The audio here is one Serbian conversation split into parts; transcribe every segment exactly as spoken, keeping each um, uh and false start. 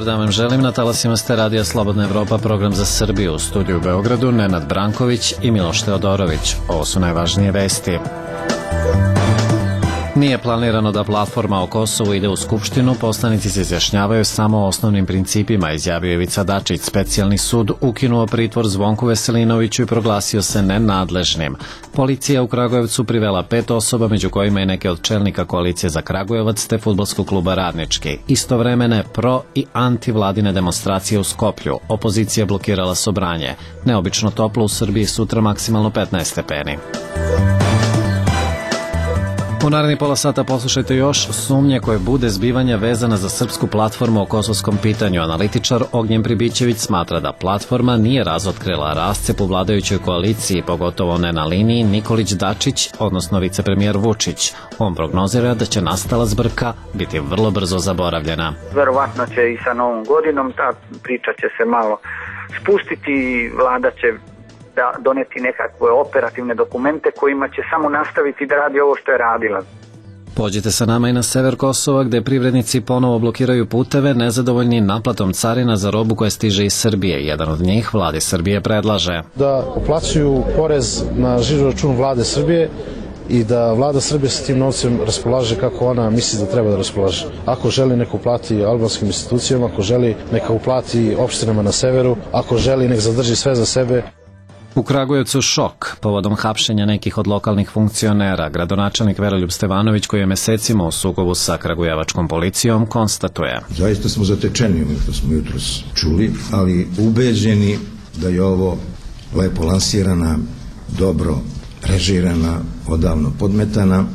Dobar dan vam želim, na talasima ste Radija Slobodna Evropa, program za Srbiju, u studiju u Beogradu Nenad Branković i Miloš Teodorović. Ovo su najvažnije vesti. Nije planirano da platforma o Kosovu ide u Skupštinu, poslanici se izjašnjavaju samo o osnovnim principima, izjavio Ivica Dačić. Specijalni sud ukinuo pritvor Zvonku Veselinoviću i proglasio se nenadležnim. Policija u Kragujevcu privela pet osoba, među kojima je neke od čelnika koalicije za Kragujevac te fudbalskog kluba Radnički. Istovremene pro i antivladine demonstracije u Skoplju. Opozicija blokirala Sobranje. Neobično toplo u Srbiji, sutra maksimalno petnaest stepeni. U naredni pola sata poslušajte još sumnje koje bude zbivanja vezana za srpsku platformu o kosovskom pitanju. Analitičar Ognjen Pribićević smatra da platforma nije razotkrila rascep u vladajućoj koaliciji, pogotovo ne na liniji Nikolić-Dačić, odnosno vicepremijer Vučić. On prognozira da će nastala zbrka biti vrlo brzo zaboravljena. Verovatno će i sa novom godinom ta priča će se malo spustiti i vlada će da doneti nekakve operativne dokumente kojima će samo nastaviti da radi ovo što je radila. Pođite sa nama i na sever Kosova, gde privrednici ponovo blokiraju puteve, nezadovoljni naplatom carina za robu koja stiže iz Srbije. Jedan od njih vladi Srbije predlaže da uplaćuju porez na žiro račun vlade Srbije i da vlada Srbije sa tim novcem raspolaže kako ona misli da treba da raspolaže. Ako želi, neka uplati albanskim institucijama, ako želi, neka uplati opštinama na severu, ako želi, nek zadrži sve za sebe. U Kragujevcu šok povodom hapšenja nekih od lokalnih funkcionera. Gradonačelnik Veroljub Stevanović, koji je mesecima u sukobu sa kragujevačkom policijom, konstatuje: Zaista smo zatečeni, ono što smo jutros čuli, ali ubeđeni da je ovo lepo lansirana, dobro režirana, odavno podmetana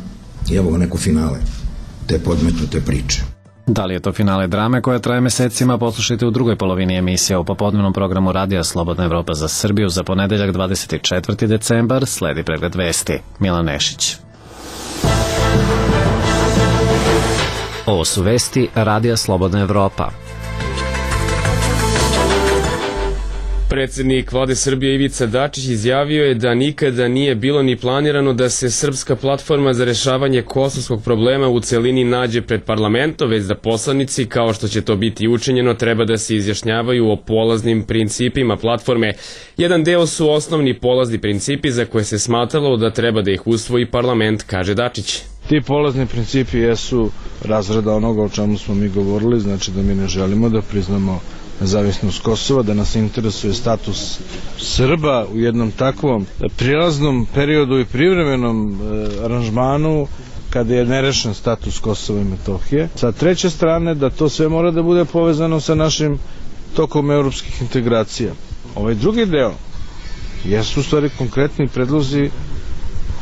i evo ga neko finale te podmetnute priče. Da li je to finale drame koja traje mesecima, poslušajte u drugoj polovini emisije o popodnevnom programu Radija Slobodna Evropa za Srbiju za ponedeljak dvadeset četvrti decembar. Sledi pregled vesti. Milan Nešić. Ovo su vesti Radija Slobodna Evropa. Predsednik vlade Srbije Ivica Dačić izjavio je da nikada nije bilo ni planirano da se srpska platforma za rešavanje kosovskog problema u celini nađe pred parlamentom, već da poslanici, kao što će to biti učinjeno, treba da se izjašnjavaju o polaznim principima platforme. Jedan deo su osnovni polazni principi za koje se smatralo da treba da ih usvoji parlament, kaže Dačić. Ti polazni principi jesu razrada onoga o čemu smo mi govorili, znači da mi ne želimo da priznamo nezavisnost Kosova, da nas interesuje status Srba u jednom takvom prilaznom periodu i privremenom e, aranžmanu kada je nerešen status Kosova i Metohije. Sa treće strane, da to sve mora da bude povezano sa našim tokom evropskih integracija. Ovaj drugi deo jesu u stvari konkretni predlozi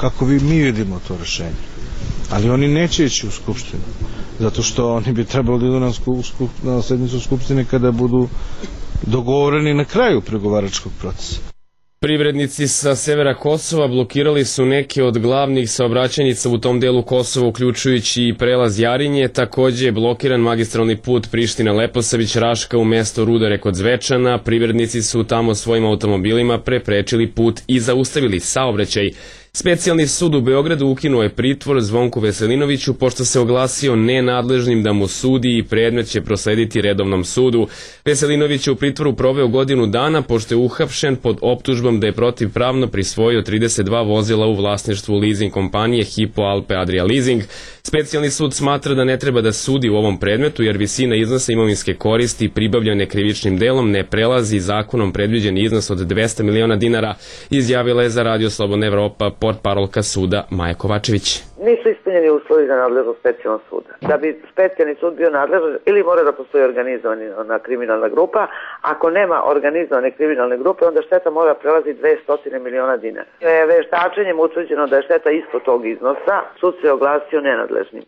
kako vi mi vidimo to rešenje. Ali oni neće ići u Skupštinu, zato što oni bi trebalo da idu na, skup, na sednicu Skupštine kada budu dogovoreni na kraju pregovaračkog procesa. Privrednici sa severa Kosova blokirali su neke od glavnih saobraćajnica u tom delu Kosova, uključujući i prelaz Jarinje. Takođe je blokiran magistralni put Priština-Leposavić-Raška u mesto Rudare kod Zvečana. Privrednici su tamo svojim automobilima preprečili put i zaustavili saobraćaj. Specijalni sud u Beogradu ukinuo je pritvor Zvonku Veselinoviću pošto se oglasio nenadležnim da mu sudi i predmet će proslediti redovnom sudu. Veselinović je u pritvoru proveo godinu dana pošto je uhapšen pod optužbom da je protivpravno prisvojio trideset dva vozila u vlasništvu leasing kompanije Hypo Alpe Adria Leasing. Specijalni sud smatra da ne treba da sudi u ovom predmetu jer visina iznosa imovinske koristi pribavljene krivičnim delom ne prelazi zakonom predviđeni iznos od dvesta miliona dinara, izjavila je za Radio Slobodna Evropa portparolka suda Maja Kovačević. Nisu ispunjeni uslovi za nadležnost specijalnog suda. Da bi specijalni sud bio nadležan, ili mora da postoji organizovana kriminalna grupa, ako nema organizovane kriminalne grupe, onda šteta mora prelazi dvesta miliona dinara. Veštačenjem utvrđeno da je šteta ispod tog iznosa, sud se oglasio nenadležnim.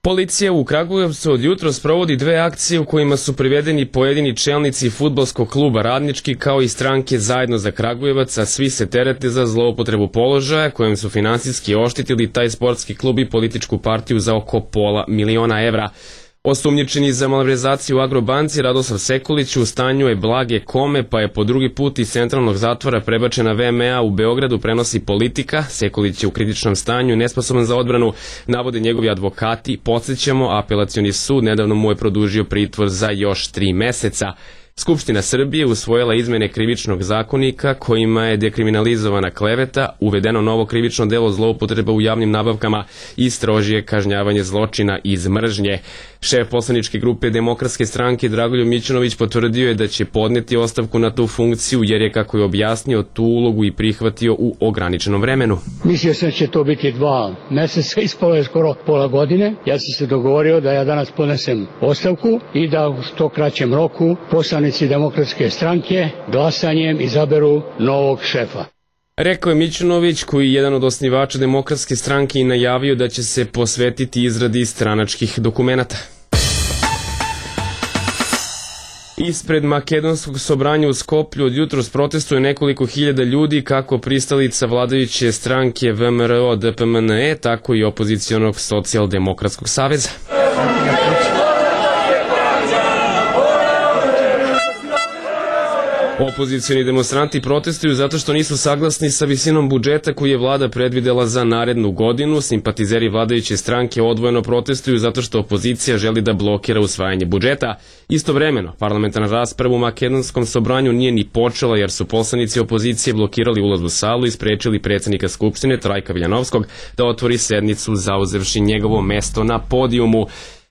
Policija u Kragujevcu od jutros provodi dve akcije u kojima su privedeni pojedini čelnici fudbalskog kluba Radnički kao i stranke Zajedno za Kragujevac, a svi se terete za zloupotrebu položaja kojim su finansijski oštetili taj sportski klub i političku partiju za oko pola miliona evra. Osumnjičeni za malverzaciju u Agrobanci Radoslav Sekulić u stanju je blage kome, pa je po drugi put iz centralnog zatvora prebačen na V M A u Beogradu, prenosi Politika. Sekulić je u kritičnom stanju, nesposoban za odbranu, navode njegovi advokati. Podsjećamo, apelacioni sud nedavno mu je produžio pritvor za još tri meseca. Skupština Srbije usvojila izmene krivičnog zakonika kojima je dekriminalizovana kleveta, uvedeno novo krivično delo zloupotreba u javnim nabavkama i strožije kažnjavanje zločina iz mržnje. Šef poslaničke grupe Demokratske stranke Dragoljub Mićunović potvrdio je da će podneti ostavku na tu funkciju jer je, kako je objasnio, tu ulogu i prihvatio u ograničenom vremenu. Mislio sam da će to biti dva meseca, ispalo je skoro pola godine. Ja sam se dogovorio da ja danas podnesem ostavku i da u što kraćem roku poslanici Demokratske stranke glasanjem izaberu novog šefa. Rekao je Mićunović, koji je jedan od osnivača Demokratske stranke i najavio da će se posvetiti izradi stranačkih dokumenata. Ispred makedonskog sobranja u Skoplju od jutros protestuje nekoliko hiljada ljudi, kako pristalica vladajuće stranke V M R O D P M N E, tako i opozicionog socijaldemokratskog saveza. Opozicioni demonstranti protestuju zato što nisu saglasni sa visinom budžeta koji je vlada predvidela za narednu godinu. Simpatizeri vladajuće stranke odvojeno protestuju zato što opozicija želi da blokira usvajanje budžeta. Istovremeno, parlamentarna rasprava u makedonskom sobranju nije ni počela jer su poslanici opozicije blokirali ulaz u salu i sprečili predsjednika Skupštine Trajka Viljanovskog da otvori sednicu zauzevši njegovo mesto na podijumu.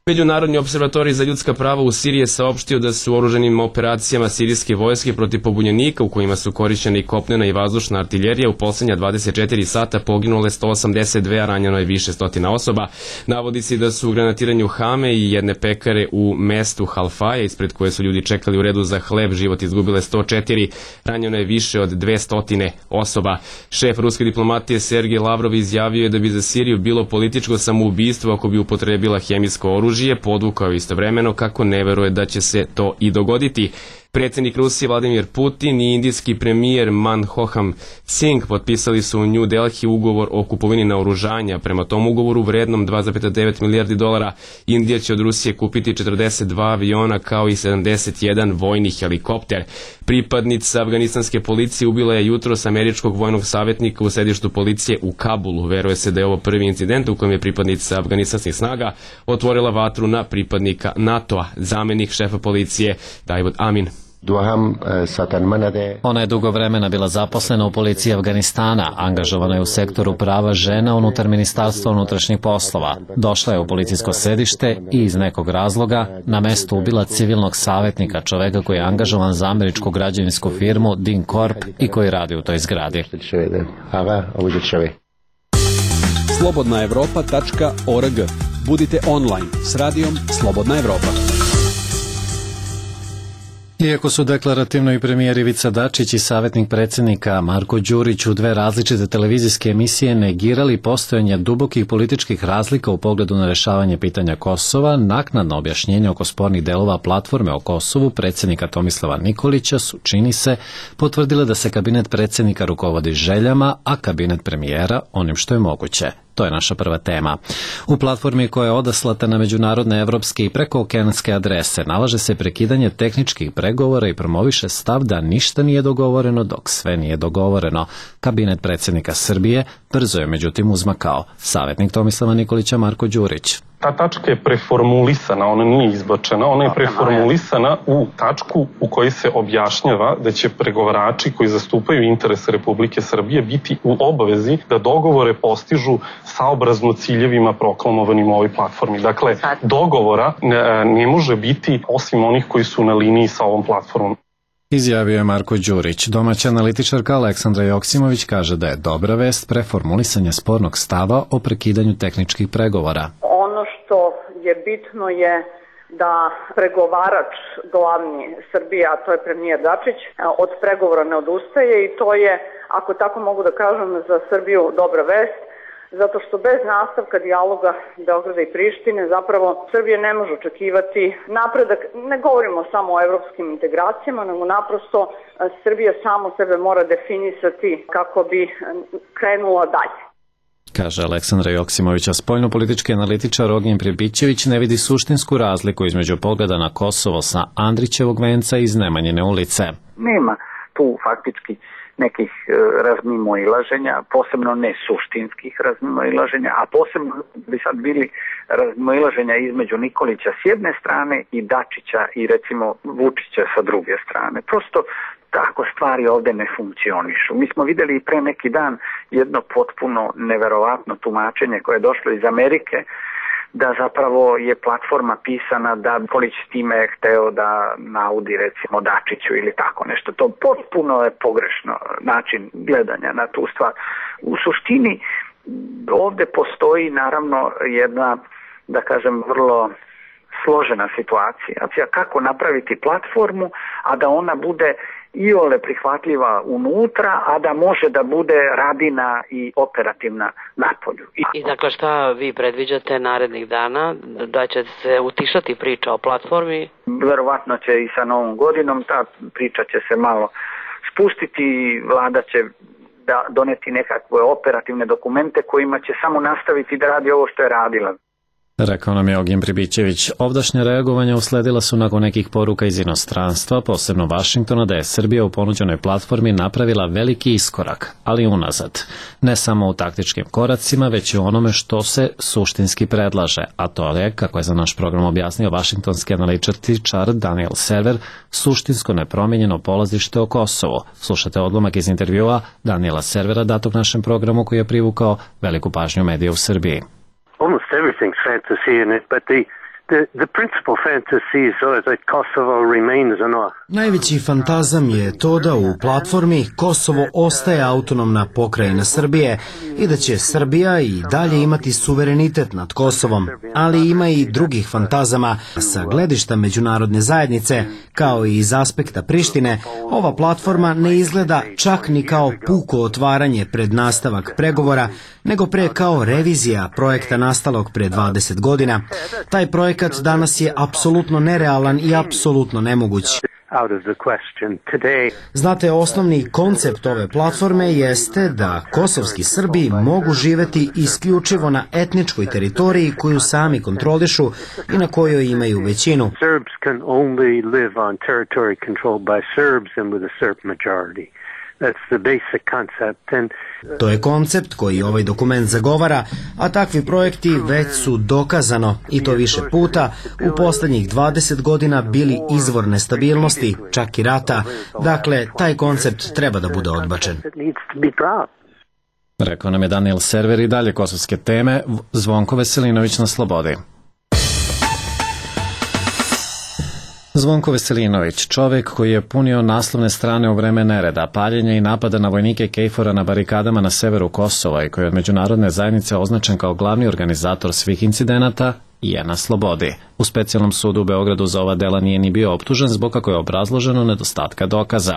Međunarodni observatorij za ljudska prava u Siriji je saopštio da su u oružanim operacijama sirijske vojske protiv pobunjenika, u kojima su korišćene i kopnena i vazdušna artiljerija, u posljednja dvadeset četiri sata poginule sto osamdeset dve, a ranjeno je više stotina osoba. Navodi se da su u granatiranju Hame i jedne pekare u mestu Halfaja, ispred koje su ljudi čekali u redu za hleb, život izgubile sto četiri, ranjeno je više od dvesta osoba. Šef ruske diplomatije Sergej Lavrov izjavio je da bi za Siriju bilo političko samoubistvo ako bi upotrebila hemijsko oružje. Podvukao istovremeno kako ne veruje da će se to i dogoditi. Predsjednik Rusije Vladimir Putin i indijski premijer Manmohan Singh potpisali su u New Delhi ugovor o kupovini naoružanja. Prema tom ugovoru vrednom dva zarez devet milijardi dolara Indija će od Rusije kupiti četrdeset dva aviona kao i sedamdeset jedan vojni helikopter. Pripadnica afganistanske policije ubila je jutros američkog vojnog savjetnika u sedištu policije u Kabulu. Veruje se da je ovo prvi incident u kojem je pripadnica afganistanskih snaga otvorila vatru na pripadnika NATO-a. Zamenik šefa policije David Amin. Ona je dugo vremena bila zaposlena u policiji Afganistana, angažovana je u sektoru prava žena unutar Ministarstva unutrašnjih poslova. Došla je u policijsko sedište i iz nekog razloga na mestu ubila civilnog savjetnika, čoveka koji je angažovan za američku građevinsku firmu Din Corp i koji radi u toj zgradi. slobodna evropa tačka org. Budite online s radijom Slobodna Evropa. Iako su deklarativno i premijer Ivica Dačić i savjetnik predsjednika Marko Đurić u dve različite televizijske emisije negirali postojanje dubokih političkih razlika u pogledu na rešavanje pitanja Kosova, naknadno objašnjenje oko spornih delova platforme o Kosovu predsjednika Tomislava Nikolića su, čini se, potvrdile da se kabinet predsjednika rukovodi željama, a kabinet premijera onim što je moguće. To je naša prva tema. U platformi koja je odaslata na međunarodne, evropske i prekookeanske adrese nalaže se prekidanje tehničkih pregovora i promoviše stav da ništa nije dogovoreno dok sve nije dogovoreno. Kabinet predsjednika Srbije brzo je međutim uzmakao. Savjetnik Tomislava Nikolića Marko Đurić. Ta tačka je preformulisana, ona nije izbačena, ona je preformulisana u tačku u kojoj se objašnjava da će pregovarači koji zastupaju interese Republike Srbije biti u obavezi da dogovore postižu saobrazno ciljevima proklamovanim u ovoj platformi. Dakle, dogovora ne, ne može biti osim onih koji su na liniji sa ovom platformom. Izjavio je Marko Đurić. Domaća analitičarka Aleksandra Joksimović kaže da je dobra vest preformulisanje spornog stava o prekidanju tehničkih pregovora. Ono što je bitno je da pregovarač glavni Srbije, a to je premijer Dačić, od pregovora ne odustaje i to je, ako tako mogu da kažem, za Srbiju dobra vest, zato što bez nastavka dijaloga Beograda i Prištine zapravo Srbija ne može očekivati napredak. Ne govorimo samo o evropskim integracijama, nego naprosto Srbija samo sebe mora definisati kako bi krenula dalje. Kaže Aleksandra Joksimovića, spoljnopolitički analitičar Ognjen Pribićević ne vidi suštinsku razliku između pogleda na Kosovo sa Andrićevog venca iz Nemanjine ulice. Nema tu faktički nekih razmimoilaženja, posebno ne suštinskih razmimoilaženja, a posebno bi sad bili razmimoilaženja između Nikolića s jedne strane i Dačića i recimo Vučića sa druge strane. Prosto tako stvari ovde ne funkcionišu. Mi smo videli i pre neki dan jedno potpuno neverovatno tumačenje koje je došlo iz Amerike, da zapravo je platforma pisana da Nikolić s time je hteo da naudi recimo Dačiću ili tako nešto. To potpuno je pogrešno način gledanja na tu stvar. U suštini ovde postoji naravno jedna, da kažem, vrlo složena situacija. Kako napraviti platformu, a da ona bude iole prihvatljiva unutra, a da može da bude radina i operativna napolju. I, I dakle, šta vi predviđate narednih dana? Da će se utišati priča o platformi? Verovatno će i sa novom godinom ta priča će se malo spustiti i vlada će da doneti nekakve operativne dokumente kojima će samo nastaviti da radi ovo što je radila. Rekao nam je Ognjen Pribićević. Ovdašnja reagovanja usledila su nakon nekih poruka iz inostranstva, posebno Vašingtona, da je Srbija u ponuđenoj platformi napravila veliki iskorak, ali unazad. Ne samo u taktičkim koracima, već i u onome što se suštinski predlaže, a to je, kako je za naš program objasnio vašingtonski analitičar Daniel Server, suštinsko nepromijenjeno polazište o Kosovu. Slušate odlomak iz intervjua Daniela Servera datog našem programu koji je privukao veliku pažnju medija u Srbiji. Almost everything's fantasy in it, but the, the, the principal fantasy is uh, that Kosovo remains an Najveći fantazam je to da u platformi Kosovo ostaje autonomna pokrajina Srbije i da će Srbija i dalje imati suverenitet nad Kosovom, ali ima i drugih fantazama sa gledišta međunarodne zajednice, kao i iz aspekta Prištine. Ova platforma ne izgleda čak ni kao puko otvaranje pred nastavak pregovora, nego pre kao revizija projekta nastalog pre dvadeset godina. Taj projekat danas je apsolutno nerealan i apsolutno nemoguć. Znate, osnovni koncept ove platforme jeste da kosovski Srbi mogu živeti isključivo na etničkoj teritoriji koju sami kontrolišu i na kojoj imaju većinu. To je koncept koji ovaj dokument zagovara, a takvi projekti već su dokazano, i to više puta, u poslednjih dvadeset godina bili izvor nestabilnosti, čak i rata. Dakle, taj koncept treba da bude odbačen. Rekao nam je Daniel Server. I dalje kosovske teme. Zvonko Veselinović na slobodi. Zvonko Veselinović, čovjek koji je punio naslovne strane u vreme nereda, paljenja i napada na vojnike Kejfora na barikadama na severu Kosova i koji je od međunarodne zajednice označen kao glavni organizator svih incidenata, je na slobodi. U specijalnom sudu u Beogradu za ova dela nije ni bio optužen zbog, kako je obrazloženo, nedostatka dokaza.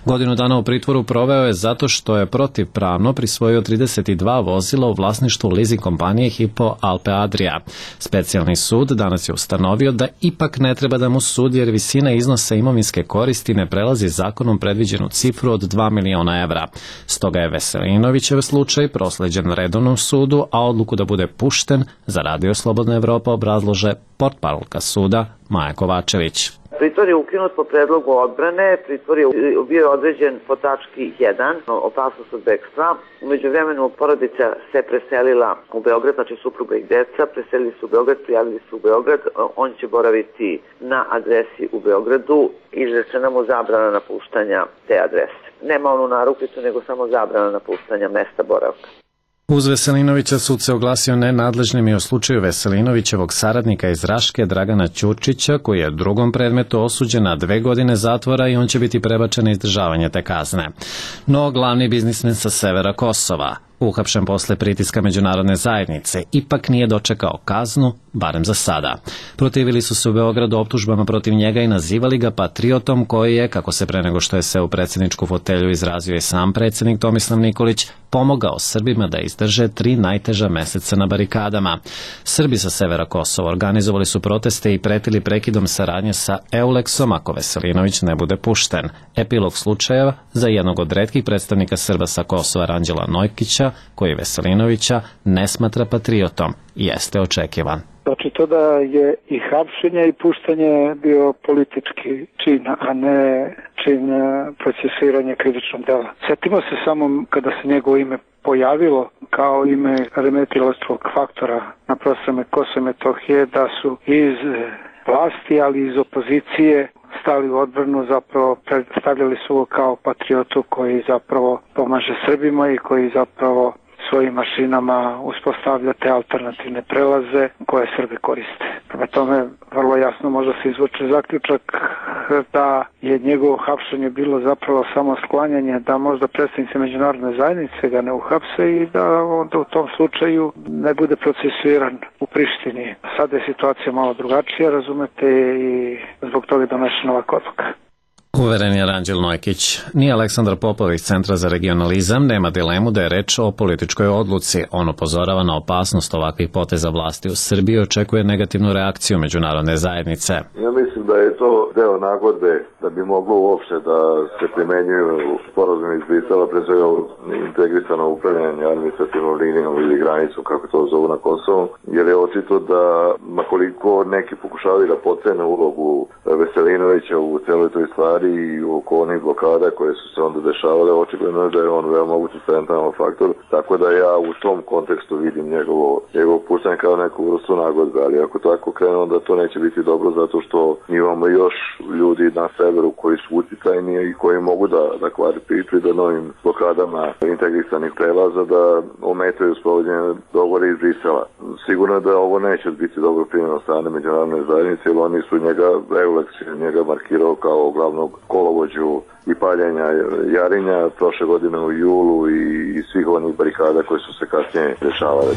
Godinu dana u pritvoru proveo je zato što je protivpravno prisvojio trideset dva vozila u vlasništvu leasing kompanije Hypo Alpe Adria. Specijalni sud danas je ustanovio da ipak ne treba da mu sudi jer visina iznosa imovinske koristi ne prelazi zakonom predviđenu cifru od dva miliona evra. Stoga je Veselinovićev slučaj prosleđen redovnom sudu, a odluku da bude pušten za Radio Slobodna Evropa obrazlože portparolka suda Maja Kovačević. Pritvor je ukinut po predlogu odbrane, pritvor je bio određen po tački jedan, opasnost od bekstva. Umeđu vremenu porodica se preselila u Beograd, znači supruga i deca, preselili su u Beograd, prijavili su u Beograd, on će boraviti na adresi u Beogradu i izrečena mu zabrana napuštanja te adrese. Nema onu narukvicu, nego samo zabrana napuštanja mesta boravka. Uz Veselinovića sud se oglasio nenadležnim i o slučaju Veselinovićevog saradnika iz Raške Dragana Ćurčića, koji je u drugom predmetu osuđen na dve godine zatvora i on će biti prebačen na izdržavanje te kazne. No, glavni biznismen sa severa Kosova, uhapšen posle pritiska međunarodne zajednice, ipak nije dočekao kaznu, barem za sada. Protivili su se u Beogradu optužbama protiv njega i nazivali ga patriotom koji je, kako se pre nego što je seo u predsjedničku fotelju izrazio i sam predsjednik Tomislav Nikolić, pomogao Srbima da izdrže tri najteža meseca na barikadama. Srbi sa severa Kosova organizovali su proteste i pretili prekidom saradnje sa Euleksom ako Veselinović ne bude pušten. Epilog slučajeva za jednog od retkih predstavnika Srba sa Kosova, Ranđela Nojkića, Vučića, koji Veselinovića ne smatra patriotom, jeste očekivan. Znači to da je i hapšenje i puštanje bio politički čin, a ne čin procesiranja krivičnog dela. Sjetimo se samo kada se njegovo ime pojavilo kao ime remetilačkog faktora na prostranu Kosova i Metohije, da su iz vlasti, ali iz opozicije stali u odbranu, zapravo predstavljali su ovo kao patriotu koji zapravo pomaže Srbima i koji zapravo svojim mašinama uspostavlja te alternativne prelaze koje Srbi koriste. Prema tome, vrlo jasno može se izvući zaključak da je njegovo hapšenje bilo zapravo samo sklanjanje, da možda predstavnici međunarodne zajednice ga ne uhapse i da onda u tom slučaju ne bude procesuiran u Prištini. Sada je situacija malo drugačija, razumete, i zbog toga je donešena ovakva odluka. Uveren je Ranđel Nojkić. Ni Aleksandar Popović Centra za regionalizam nema dilemu da je reč o političkoj odluci. On upozorava na opasnost ovakvih poteza vlasti u Srbiji i očekuje negativnu reakciju međunarodne zajednice. Ja mislim da je to deo nagodbe da bi moglo uopšte da se primenjuju sporazum iz Brisela, pre svega integrisano upravljanje administrativnom linijom ili granicom, kako to zovu na Kosovu, jer je očito da makoliko neki pokušavaju da potcene ulogu Veselinovića u celoj toj stvari i oko onih blokada koje su se onda dešavale, očigledno je da je on veoma utjecajni faktor, tako da ja u tom kontekstu vidim njegovo, njegovo puštanje kao neku vrstu nagodbe, ali ako tako krene, onda to neće biti dobro, zato što imamo još ljudi na severu koji su utjecajni i koji mogu da, da kvari priču i da novim blokadama integrisanih prelaza da ometaju sprovođenje dogovora iz Brisela. Sigurno je da ovo neće biti dobro primljeno od strane međunarodne zajednice, jer oni su njega, Euleks njega markirao kao glavnog kolovođu i paljenja Jarinja prošle godine u julu i, i svih onih barikada koje su se kasnije dešavale.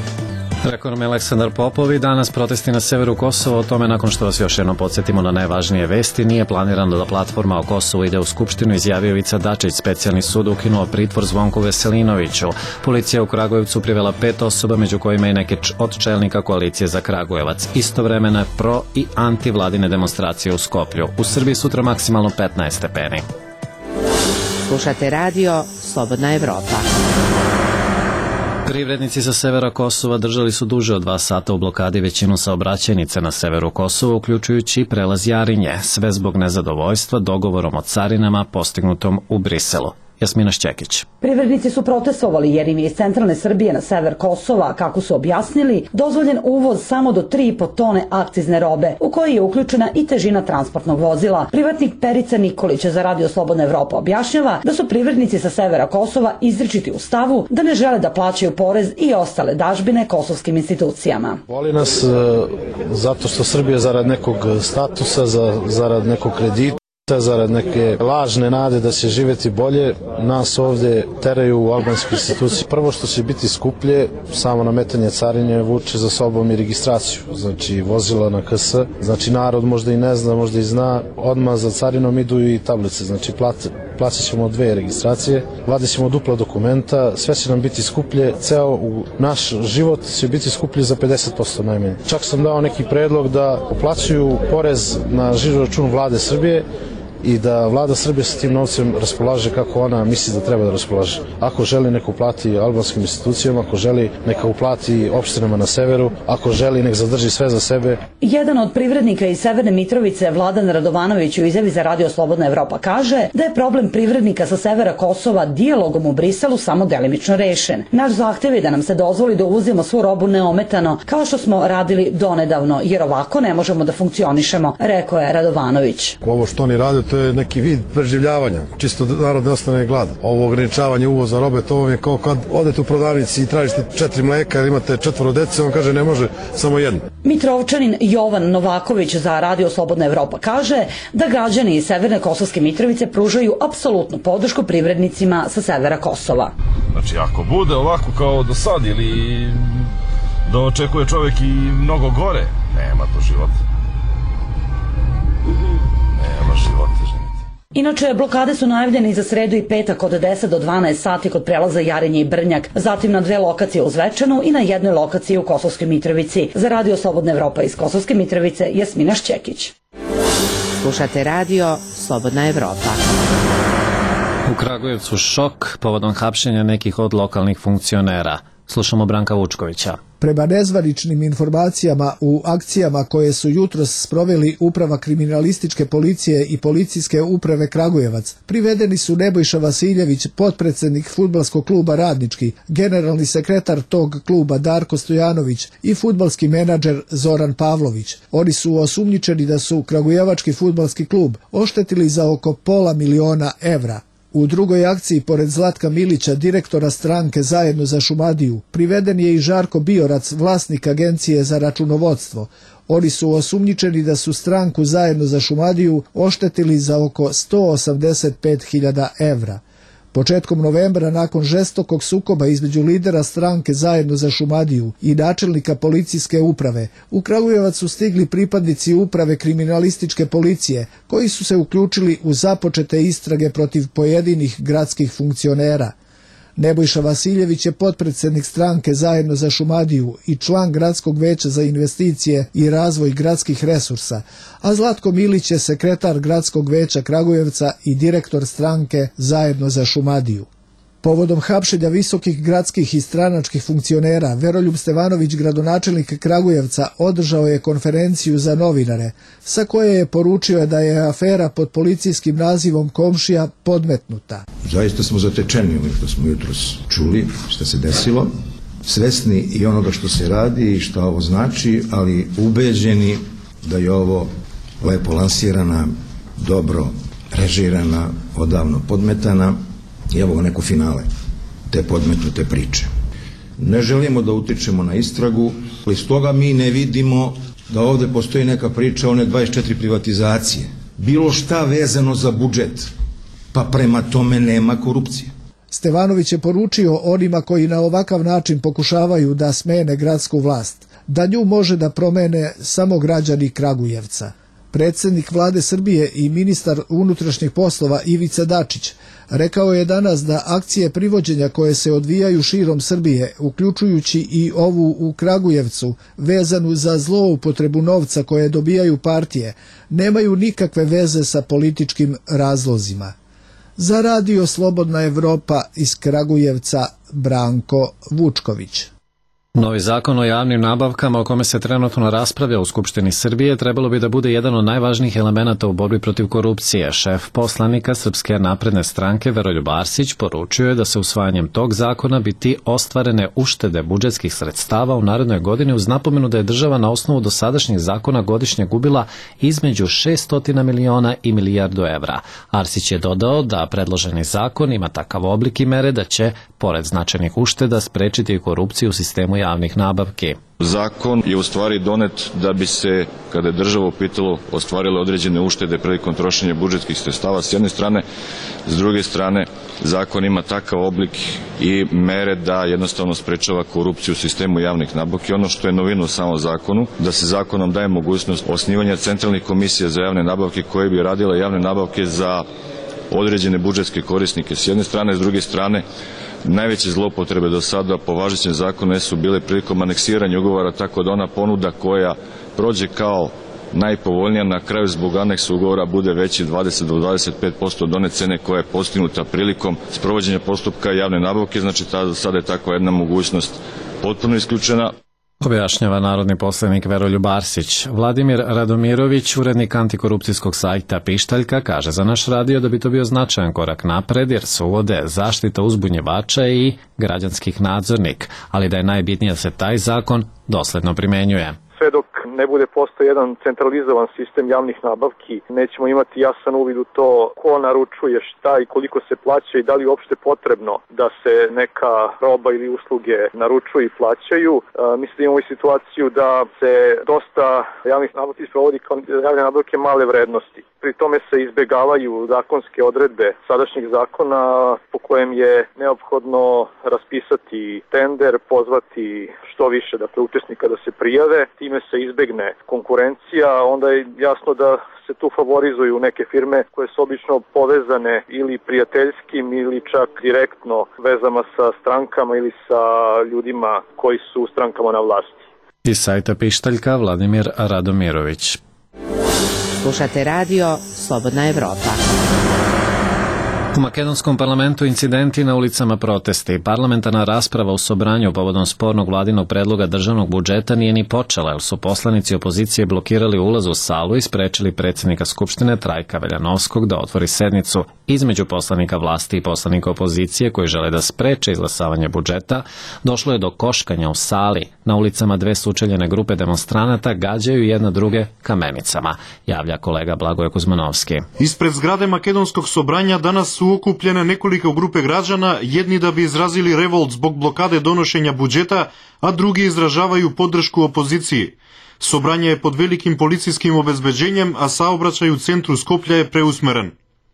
Rekao nam je Aleksandar Popov. I danas protesti na severu Kosova. O tome, nakon što vas još jednom podsjetimo na najvažnije vesti, nije planirano da platforma o Kosovu ide u Skupštinu, izjavio Ivica Dačić. Specijalni sud ukinuo pritvor Zvonku Veselinoviću. Policija u Kragujevcu privela pet osoba, među kojima i neke od čelnika koalicije za Kragujevac. Istovremeno pro i antivladine demonstracije u Skoplju. U Srbiji sutra maksimalno petnaest stepeni. Slušate radio Slobodna Evropa. Privrednici sa severa Kosova držali su duže od dva sata u blokadi većinu saobraćajnice na severu Kosova, uključujući prelaz Jarinje, sve zbog nezadovoljstva dogovorom o carinama postignutom u Briselu. Jasmina Šćekić. Privrednici su protestovali jer im je iz centralne Srbije na sever Kosova, kako su objasnili, dozvoljen uvoz samo do tri i po tone akcizne robe, u kojoj je uključena i težina transportnog vozila. Privatnik Perica Nikolić za Radio Slobodna Evropa objašnjava da su privrednici sa severa Kosova izričiti u stavu da ne žele da plaćaju porez i ostale dažbine kosovskim institucijama. Boli nas zato što Srbija zarad nekog statusa, zarad nekog kredita, zarad neke lažne nade da će živjeti bolje, nas ovdje teraju u albanske institucije. Prvo što će biti skuplje, samo nametanje carinje vuče za sobom i registraciju, znači vozila na K S, znači narod možda i ne zna, možda i zna, odmah za carinom idu i tablice, znači plate. Plaćat ćemo dve registracije, vadit ćemo dupla dokumenta, sve će nam biti skuplje, ceo u naš život će biti skuplji za pedeset posto najmanje. Čak sam dao neki predlog da uplaćuju porez na žiro račun vlade Srbije i da vlada Srbije sa tim novcem raspolaže kako ona misli da treba da raspolaže. Ako želi neka uplati albanskim institucijama, ako želi neka uplati opštinama na severu, ako želi nek zadrži sve za sebe. Jedan od privrednika iz Severne Mitrovice, Vladan Radovanović, u izjavi za Radio Slobodna Evropa kaže da je problem privrednika sa severa Kosova dijalogom u Briselu samo delimično rešen. Naš zahtev je da nam se dozvoli da uvozimo svu robu neometano, kao što smo radili donedavno, jer ovako ne možemo da funkcionišemo, rekao je Radovanović. Ovo što oni rade, to je neki vid preživljavanja, čisto narod ne ostane gladan. Ovo ograničavanje uvoza robe, to vam je kao kad odete u prodavnici i tražite četiri mleka ili imate četvoro dece, on kaže ne može, samo jedno. Mitrovčanin Jovan Novaković za Radio Slobodna Evropa kaže da građani iz Severne Kosovske Mitrovice pružaju apsolutnu podršku privrednicima sa severa Kosova. Znači ako bude ovako kao do sad ili da očekuje čovjek i mnogo gore, nema to života. Nema života. Inače, blokade su najavljene i za sredu i petak od deset do dvanaest sati kod prelaza Jarinje i Brnjak, zatim na dve lokacije u Zvečanu i na jednoj lokaciji u Kosovskoj Mitrovici. Za Radio Slobodna Evropa iz Kosovske Mitrovice, Jasmina Šćekić. Slušate radio Slobodna Evropa. U Kragujevcu šok povodom hapšenja nekih od lokalnih funkcionera. Slušamo Branka Vučkovića. Prema nezvaničnim informacijama u akcijama koje su jutros sproveli Uprava kriminalističke policije i Policijske uprave Kragujevac, privedeni su Nebojša Vasiljević, potpredsednik fudbalskog kluba Radnički, generalni sekretar tog kluba Darko Stojanović i fudbalski menadžer Zoran Pavlović. Oni su osumnjičeni da su Kragujevački fudbalski klub oštetili za oko pola miliona evra. U drugoj akciji, pored Zlatka Milića, direktora stranke Zajedno za Šumadiju, priveden je i Žarko Biorac, vlasnik agencije za računovodstvo. Oni su osumnjičeni da su stranku Zajedno za Šumadiju oštetili za oko sto osamdeset pet hiljada evra. Početkom novembra, nakon žestokog sukoba između lidera stranke Zajedno za Šumadiju i načelnika policijske uprave, u Kragujevac su stigli pripadnici Uprave kriminalističke policije, koji su se uključili u započete istrage protiv pojedinih gradskih funkcionera. Nebojša Vasiljević je potpredsednik stranke Zajedno za Šumadiju i član Gradskog veća za investicije i razvoj gradskih resursa, a Zlatko Milić je sekretar Gradskog veća Kragujevca i direktor stranke Zajedno za Šumadiju. Povodom hapšenja visokih gradskih i stranačkih funkcionera, Veroljub Stevanović, gradonačelnik Kragujevca, održao je konferenciju za novinare, sa koje je poručio da je afera pod policijskim nazivom Komšija podmetnuta. Zaista smo zatečeni ovim što smo jutros čuli, što se desilo, svesni i onoga što se radi i što ovo znači, ali ubeđeni da je ovo lepo lansirana, dobro režirana, odavno podmetana, i evo ga neko finale te podmetnute priče. Ne želimo da utičemo na istragu, ali s toga mi ne vidimo da ovde postoji neka priča o one dvadeset četiri privatizacije. Bilo šta vezano za budžet, pa prema tome nema korupcije. Stevanović je poručio onima koji na ovakav način pokušavaju da smene gradsku vlast, da nju može da promene samo građani Kragujevca. Predsjednik vlade Srbije i ministar unutrašnjih poslova Ivica Dačić rekao je danas da akcije privođenja koje se odvijaju širom Srbije, uključujući i ovu u Kragujevcu, vezanu za zloupotrebu novca koje dobijaju partije, nemaju nikakve veze sa političkim razlozima. Za Radio Slobodna Evropa iz Kragujevca, Branko Vučković. Novi zakon o javnim nabavkama o kome se trenutno raspravlja u Skupštini Srbije trebalo bi da bude jedan od najvažnijih elemenata u borbi protiv korupcije. Šef poslanika Srpske napredne stranke Veroljub Arsić poručio je da se usvajanjem tog zakona biti ostvarene uštede budžetskih sredstava u narednoj godini, uz napomenu da je država na osnovu dosadašnjih zakona godišnje gubila između šessto miliona i milijardu evra. Arsić je dodao da predloženi zakon ima takav oblik i mere da će, pored značajnih ušteda, sprečiti korupciju u sistemu javnih nabavki. Zakon je u stvari donet da bi se, kada je država u pitanju, ostvarile određene uštede prilikom trošenja budžetskih sredstava s jedne strane, s druge strane zakon ima takav oblik i mere da jednostavno sprečava korupciju u sistemu javnih nabavki. Ono što je novina u samom zakonu, da se zakonom daje mogućnost osnivanja centralnih komisija za javne nabavke koje bi radile javne nabavke za određene budžetske korisnike s jedne strane, s druge strane najveće zloupotrebe do sada po važećem zakonu su bile prilikom aneksiranja ugovora, tako da ona ponuda koja prođe kao najpovoljnija na kraju zbog aneksa ugovora bude veći dvadeset do dvadeset pet posto od one cene koja je postignuta prilikom sprovođenja postupka javne nabavke, znači sada je takva jedna mogućnost potpuno isključena. Objašnjava narodni poslanik Veroljub Arsić. Vladimir Radomirović, urednik antikorupcijskog sajta Pištaljka, kaže za naš radio da bi to bio značajan korak napred jer se uvode zaštita uzbunjevača i građanskih nadzornik, ali da je najbitnije da se taj zakon dosledno primenjuje. Sve dok ne bude postao jedan centralizovan sistem javnih nabavki, nećemo imati jasan uvid u to ko naručuje šta i koliko se plaća i da li je uopšte potrebno da se neka roba ili usluge naručuju i plaćaju. E, mislim da imamo i situaciju da se dosta javnih nabavki sprovodi kao javne nabavke male vrednosti. Pri tome se izbegavaju zakonske odredbe sadašnjeg zakona po kojem je neophodno raspisati tender, pozvati što više dakle, učesnika da se prijave, time se izbegne konkurencija, onda je jasno da se tu favorizuju neke firme koje su obično povezane ili prijateljskim ili čak direktno vezama sa strankama ili sa ljudima koji su u strankama na vlasti. Iz sajta Pištaljka Vladimir Radomirović. Slušate radio Slobodna Evropa. U makedonskom parlamentu incidenti na ulicama, protesti. Parlamentarna rasprava u Sobranju povodom spornog vladinog predloga državnog budžeta nije ni počela, jer su poslanici opozicije blokirali ulaz u salu i sprečili predsjednika Skupštine Trajka Veljanovskog da otvori sednicu. Između poslanika vlasti i poslanika opozicije koji žele da spreče izglasavanje budžeta, došlo je do koškanja u sali. Na ulicama dve sučeljene grupe demonstranata gađaju jedna druge kamenicama, javlja kolega Blagoje Kuzmanovski. Ispred zgrade makedonskog Sobranja danas su okupljene nekoliko grupe građana, jedni da bi izrazili revolt zbog blokade donošenja budžeta, a drugi izražavaju podršku opoziciji. Sobranje je pod velikim policijskim obezbeđenjem, a saobraćaj u centru Skoplja je preusmeren.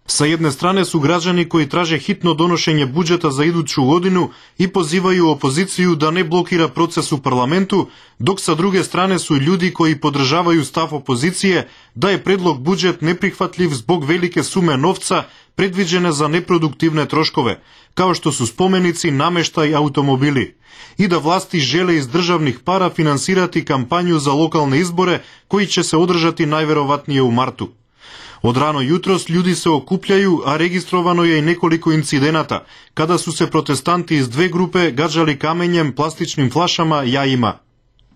Sa jedne strane su građani koji traže hitno donošenje budžeta za iduću godinu i pozivaju opoziciju da ne blokira proces u parlamentu, dok sa druge strane su ljudi koji podržavaju stav opozicije da je predlog budžet neprihvatljiv zbog velike sume novca predviđene za neproduktivne troškove, kao što su spomenici, nameštaj, automobili, i da vlasti žele iz državnih para finansirati kampanju za lokalne izbore koji će se održati najverovatnije u martu. Od rano jutros ljudi se okupljaju, a registrovano je i nekoliko incidenata, kada su se protestanti iz dve grupe gađali kamenjem, plastičnim flašama, jajima.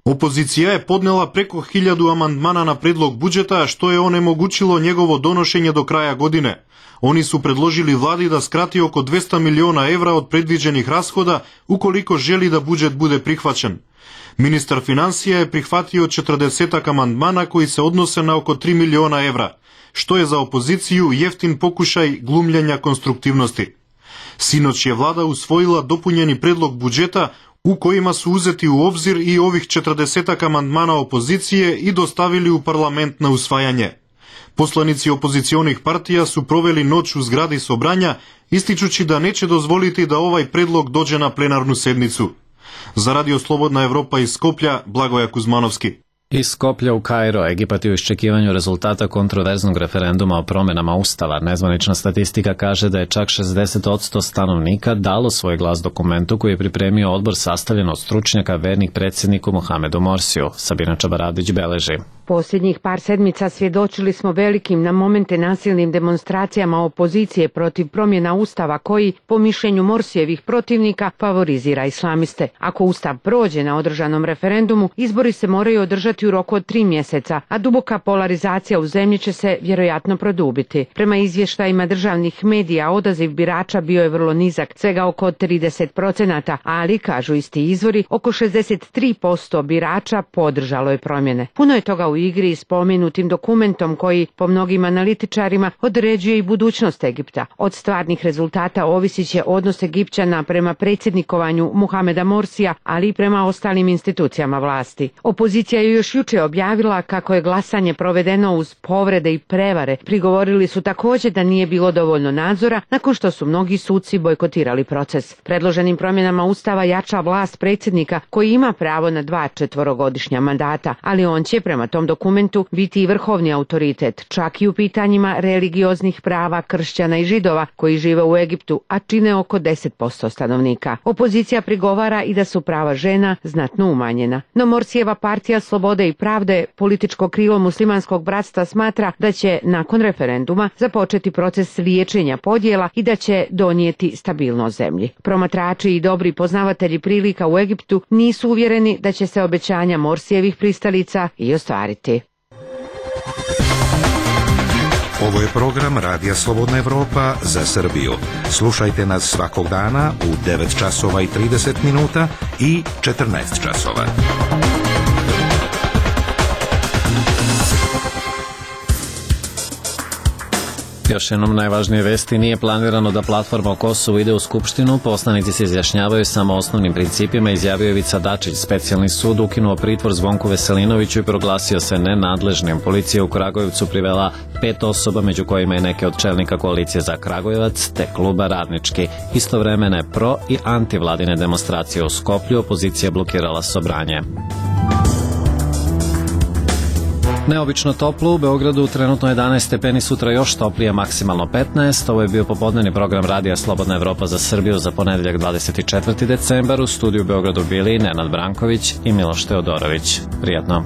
Opozicija je podnela preko hiljadu amandmana na predlog budžeta, što je onemogućilo njegovo donošenje do kraja godine. Oni su predložili vladi da skrati oko dvesta miliona evra od predviđenih rashoda ukoliko želi da budžet bude prihvaćen. Ministar financija je prihvatio četrdesetak amandmana koji se odnose na oko tri miliona evra, što je za opoziciju jeftin pokušaj glumljenja konstruktivnosti. Sinoć je vlada usvojila dopunjeni predlog budžeta u kojima su uzeti u obzir i ovih četrdesetak amandmana opozicije i dostavili u parlament na usvajanje. Poslanici opozicionih partija su proveli noć u zgradi Sobranja, ističući da neće dozvoliti da ovaj predlog dođe na plenarnu sednicu. Za Radio Slobodna Evropa iz Skoplja, Blagoje Kuzmanovski. Iz Skoplja u Kairo, Egipat je u iščekivanju rezultata kontroverznog referenduma o promjenama Ustava. Nezvanična statistika kaže da je čak šezdeset posto stanovnika dalo svoj glas dokumentu koji je pripremio odbor sastavljen od stručnjaka vernih predsjedniku Mohamedu Morsiju. Sabina Čabaradić beleži. Posljednjih par sedmica svjedočili smo velikim na momente nasilnim demonstracijama opozicije protiv promjena Ustava koji, po mišljenju Morsijevih protivnika, favorizira islamiste. Ako Ustav prođe na održanom referendumu, izbori se moraju održati u roku od tri mjeseca, a duboka polarizacija u zemlji će se vjerojatno produbiti. Prema izvještajima državnih medija, odaziv birača bio je vrlo nizak, svega oko trideset procenata, ali, kažu isti izvori, oko šezdeset tri posto birača podržalo je promjene. Puno je toga u igri s pomenutim dokumentom koji, po mnogim analitičarima, određuje i budućnost Egipta. Od stvarnih rezultata ovisit će odnos Egipćana prema predsjednikovanju Mohameda Morsija, ali i prema ostalim institucijama vlasti. Opozicija je još juče objavila kako je glasanje provedeno uz povrede i prevare. Prigovorili su također da nije bilo dovoljno nadzora, nakon što su mnogi suci bojkotirali proces. Predloženim promjenama Ustava jača vlast predsjednika koji ima pravo na dva četvorogodišnja mandata, ali on će prema tom dokumentu biti i vrhovni autoritet, čak i u pitanjima religioznih prava kršćana i židova koji žive u Egiptu, a čine oko deset posto stanovnika. Opozicija prigovara i da su prava žena znatno umanjena. No Morsijeva partija Slobode i pravde, političko krilo muslimanskog bratstva, smatra da će nakon referenduma započeti proces liječenja podjela i da će donijeti stabilnost zemlji. Promatrači i dobri poznavatelji prilika u Egiptu nisu uvjereni da će se obećanja Morsijevih pristalica i ostvariti. Ovo je program Radija Slobodna Evropa za Srbiju. Slušajte nas svakog dana u devet časova i trideset minuta i četrnaest časova. Još jednom najvažnije vesti: nije planirano da platforma o Kosovu ide u Skupštinu, poslanici se izjašnjavaju samo o osnovnim principima, izjavio je Ivica Dačić. Specijalni sud ukinuo pritvor Zvonku Veselinoviću i proglasio se nenadležnim. Policija u Kragujevcu privela pet osoba, među kojima je neke od čelnika koalicije za Kragujevac te kluba Radnički. Istovremene pro i antivladine demonstracije u Skoplju, opozicija blokirala Sobranje. Neobično toplo u Beogradu, trenutno jedanaest stepeni, sutra još toplije, maksimalno petnaest. Ovo je bio popodnevni program Radija Slobodna Evropa za Srbiju za ponedeljak dvadeset četvrti decembar. U studiju u Beogradu bili Nenad Branković i Miloš Teodorović. Prijatno.